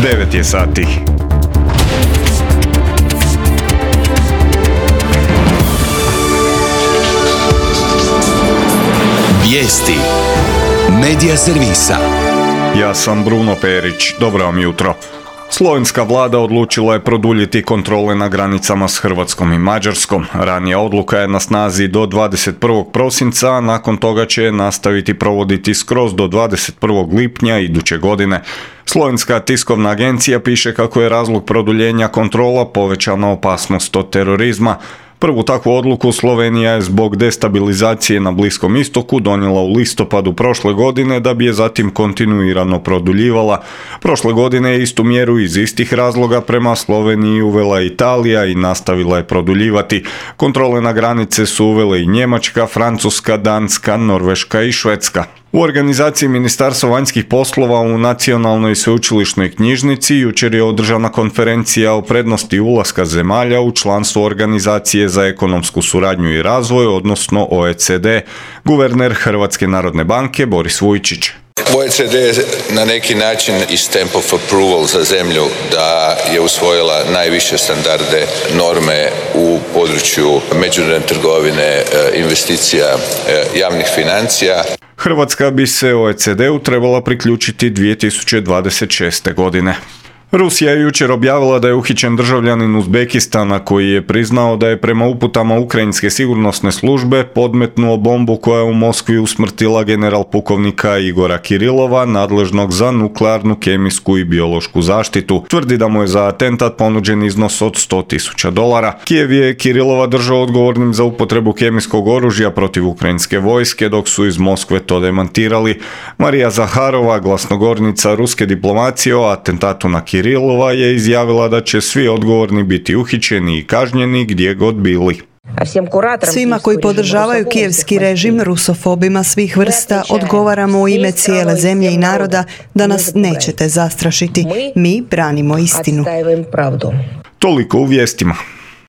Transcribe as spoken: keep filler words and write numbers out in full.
devet je sati. Vijesti Medija servisa. Ja sam Bruno Perić. Dobro vam jutro. Slovenska vlada odlučila je produljiti kontrole na granicama s Hrvatskom i Mađarskom. Ranija odluka je na snazi do dvadeset prvog prosinca, a nakon toga će je nastaviti provoditi skroz do dvadeset prvog lipnja iduće godine. Slovenska tiskovna agencija piše kako je razlog produljenja kontrola povećana opasnost od terorizma. Prvu takvu odluku Slovenija je zbog destabilizacije na Bliskom istoku donijela u listopadu prošle godine, da bi je zatim kontinuirano produljivala. Prošle godine je istu mjeru iz istih razloga prema Sloveniji uvela Italija i nastavila je produljivati. Kontrole na granice su uvele i Njemačka, Francuska, Danska, Norveška i Švedska. U organizaciji Ministarstva vanjskih poslova u Nacionalnoj sveučilišnoj knjižnici jučer je održana konferencija o prednosti ulaska zemalja u članstvo Organizacije za ekonomsku suradnju i razvoj, odnosno O E C D. Guverner Hrvatske narodne banke Boris Vujčić. O E C D je na neki način i stamp of approval za zemlju da je usvojila najviše standarde, norme u području međunarodne trgovine, investicija, javnih financija. Hrvatska bi se O E C D-u trebala priključiti dvije tisuće dvadeset šeste. godine. Rusija je jučer objavila da je uhićen državljanin Uzbekistana koji je priznao da je prema uputama ukrajinske sigurnosne službe podmetnuo bombu koja je u Moskvi usmrtila general pukovnika Igora Kirilova, nadležnog za nuklearnu, kemijsku i biološku zaštitu. Tvrdi da mu je za atentat ponuđen iznos od sto tisuća dolara. Kijev je Kirilova držao odgovornim za upotrebu kemijskog oružja protiv ukrajinske vojske, dok su iz Moskve to demantirali. Marija Zaharova, glasnogovornica ruske diplomacije o atentatu na Kirilova, Kirilova je izjavila da će svi odgovorni biti uhićeni i kažnjeni gdje god bili. Svima koji podržavaju kijevski režim, rusofobima svih vrsta, odgovaramo u ime cijele zemlje i naroda da nas nećete zastrašiti. Mi branimo istinu. Toliko u vijestima.